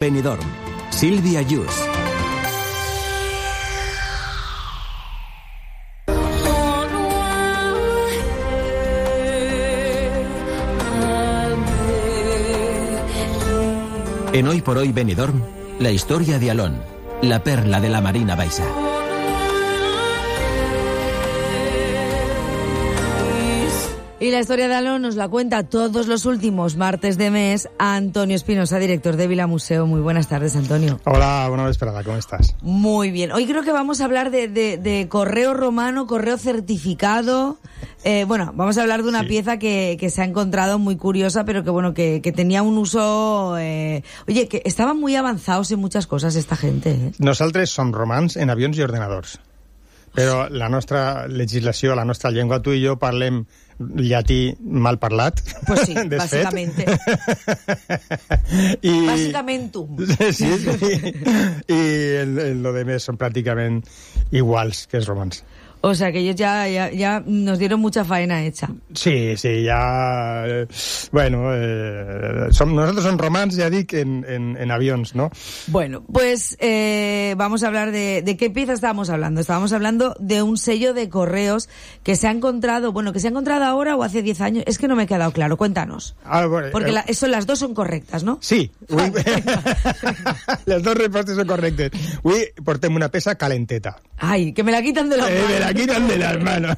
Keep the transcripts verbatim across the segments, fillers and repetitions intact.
Benidorm, Sílvia Yus. En Hoy por Hoy Benidorm, la historia de Alón, la perla de la Marina Baixa. Y la historia de Alón nos la cuenta todos los últimos martes de mes Antonio Espinosa, director de Vila Museo. Muy buenas tardes, Antonio. Hola, buena vesprada, ¿cómo estás? Muy bien. Hoy creo que vamos a hablar de, de, de correo romano, correo certificado. Eh, bueno, vamos a hablar de una sí. pieza que, que se ha encontrado muy curiosa, pero que bueno, que, que tenía un uso... Eh... Oye, que estaban muy avanzados en muchas cosas esta gente. Eh? Nosaltres som romans en avions i ordenadors. Però la nostra legislació, la nostra llengua, tu i jo parlem llatí mal parlat. Pues sí, básicamente. I... Básicamentum. Sí, sí. I el, el, lo demés són pràcticament iguals que els romans. O sea, que ellos ya, ya, ya nos dieron mucha faena hecha. Sí, sí, ya... Eh, bueno, eh, som, nosotros son romans, ya dic, en, en, en avions, ¿no? Bueno, pues eh, vamos a hablar de... ¿De qué pieza estábamos hablando? Estábamos hablando de un sello de correos que se ha encontrado... Bueno, que se ha encontrado ahora o hace diez años. Es que no me ha quedado claro. Cuéntanos. Ah, bueno, Porque eh, la, eso, las dos son correctas, ¿no? Sí. Ui, les dos respostes són correctes. Avui portem una peça calenteta. Ai, que me la quitan de las manos. Eh, me la quitan de las manos.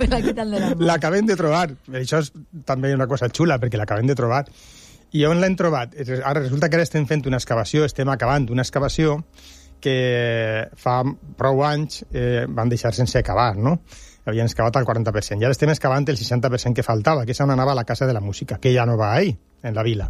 me la quitan de las manos. L'acabem de trobar. Això és també una cosa xula, perquè l'acabem de trobar. I on l'hem trobat? Ara resulta que ara estem fent una excavació, estem acabant una excavació que fa prou anys eh, van deixar sense acabar, no? Havien excavat el quaranta per cent. I ara estem excavant el seixanta per cent que faltava, que és on anava la Casa de la Música, que ja no va ahí, en la vila.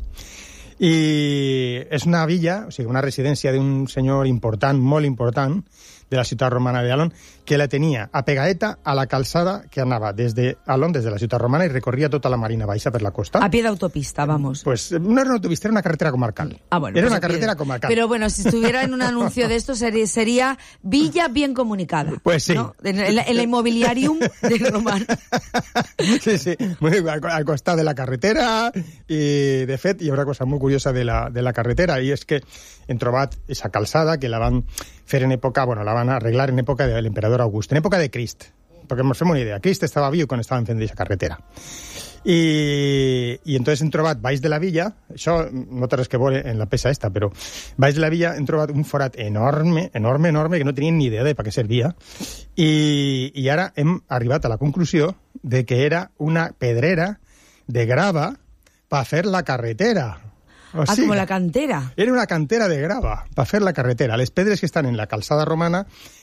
I és una villa, o sigui, una residència d'un senyor important, molt important, de la ciutat romana de Alón, que la tenia apegadeta a la calçada que anava des de Alón, des de la ciutat romana, i recorria tota la Marina Baixa per la costa. A pie de autopista, vamos. Pues no era una autopista, era una carretera comarcal. Ah, bueno, era pues una carretera comarcal. Pero bueno, si estuviera en un anuncio de esto, sería, sería Villa bien comunicada. Pues sí. ¿No? En el, el inmobiliarium de Román. Sí, sí, muy al, al costat de la carretera, i de fet hi ha una cosa molt curiosa de la, de la carretera, i és que hem trobat aquesta calçada que la van fer en època, bueno, la van arreglar en època de l'emperador August, en època de Crist, perquè ens fem una idea, Crist estava viu quan estaven fent aquesta carretera. I, i entonces hem trobat baix de la villa, això no té res que veure en la peça esta, però baix de la villa hem trobat un forat enorme, enorme, enorme, que no tenien ni idea de per què servia, i, i ara hem arribat a la conclusió de que era una pedrera de grava per fer la carretera. O ah, sigui, como la cantera. Era una cantera de grava per fer la carretera. Les pedres que estan en la calçada romana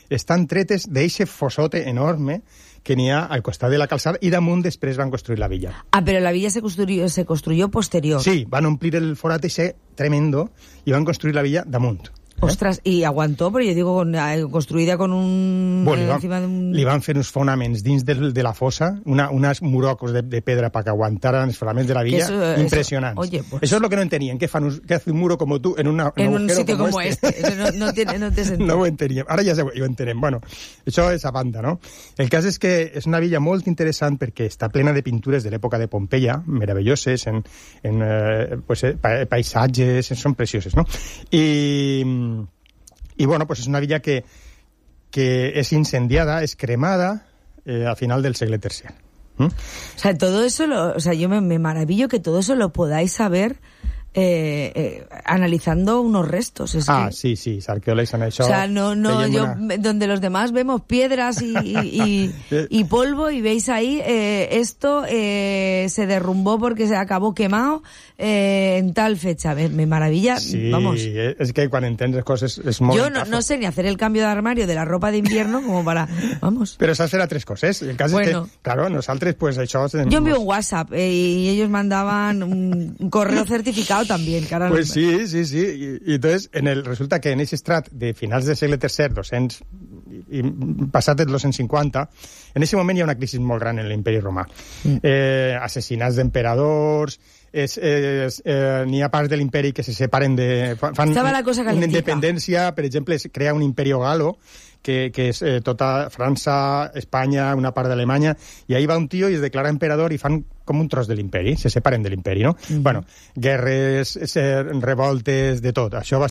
estan tretes d'eixe fossote enorme que n'hi ha al costat de la calçada, i damunt després van construir la villa. Ah, pero la villa se construyó, se construyó posterior. Sí, van omplir el forat ese tremendo i van construir la villa damunt. ¿Eh? Ostras, y aguantó, pero yo digo, con, eh, construida con un... Bueno, li, van, encima de un... li van fer uns fonaments dins de, de la fossa, una, unes murocos de, de pedra para que aguantaran els fonaments de la villa, eso, impressionants. Eso, oye, pues... Eso es lo que no entenían, que fan un, que hace un muro como tú en, una, en un, un sitio como, como este. este. No, no, tiene, no té sentit. No ho enteníem. Ara ja ho entenem. Bueno, això és a banda, no? El cas és que és una villa molt interessant perquè està plena de pintures de l'època de Pompeia, meravelloses, en, en eh, pues, eh, paisatges, són precioses, no? I... Y bueno, pues es una villa que, que es incendiada, es cremada eh, a final del siglo tercer. ¿Mm? O sea, todo eso, lo, o sea, yo me, me maravillo que todo eso lo podáis saber eh, eh, analizando unos restos. Es ah, que... sí, sí, els arqueòlegs han hecho... O sea, no, no, yo, una... donde los demás vemos piedras y, y, y, y polvo, y veis ahí, eh, esto eh, se derrumbó porque se acabó quemado eh, en tal fecha. Me, me maravilla, sí, vamos. Sí, es que quan entens les coses és molt... Yo no, no sé ni hacer el cambio de armario de la ropa de invierno como para... Vamos. Pero saps fer a tres coses. El cas bueno. és que, claro, nosaltres, pues, això... Yo envío un WhatsApp eh, y ellos mandaban un, un correo certificado también. Que ahora pues no... sí, sí, sí. Y, y entonces, en el, resulta que en ese estrat de finals del segle tercer, doscents, i passat els dos-cents cinquanta, en aquest moment hi ha una crisi molt gran en l'imperi romà. Mm. Eh, assassinats d'emperadors, és, és, eh, n'hi ha parts de l'imperi que se separen de... Fan Estava la cosa una calentica. independència, per exemple, es crea un imperio galo, que, que és eh, tota França, Espanya, una part d'Alemanya, i ahí va un tio i es declara emperador i fan com un tros de l'imperi, se separen de l'imperi, no? Mm-hmm. Bueno, guerres, revoltes, de tot. Això va